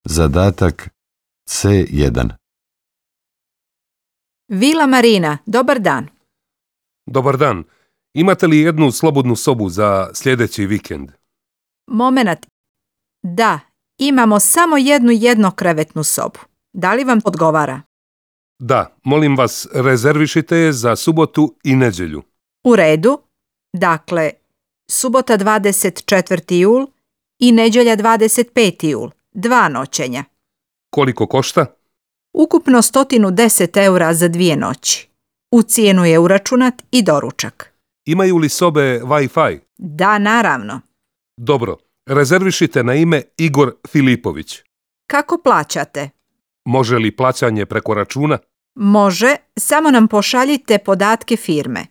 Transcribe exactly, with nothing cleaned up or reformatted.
Zadatak C jedan. Vila Marina, dobar dan. Dobar dan. Imate li jednu slobodnu sobu za sljedeći vikend? Momenat. Da, imamo samo jednu jednokrevetnu sobu. Da li vam odgovara? Da, molim vas, rezervišite je za subotu i nedjelju. U redu. Dakle, subota dvadeset četvrti jul i nedjelja dvadeset peti jul. Dva noćenja. Koliko košta? Ukupno sto deset eura za dvije noći. U cijenu je uračunat i doručak. Imaju li sobe Wi-Fi? Da, naravno. Dobro, rezervišite na ime Igor Filipović. Kako plaćate? Može li plaćanje preko računa? Može, samo nam pošaljite podatke firme.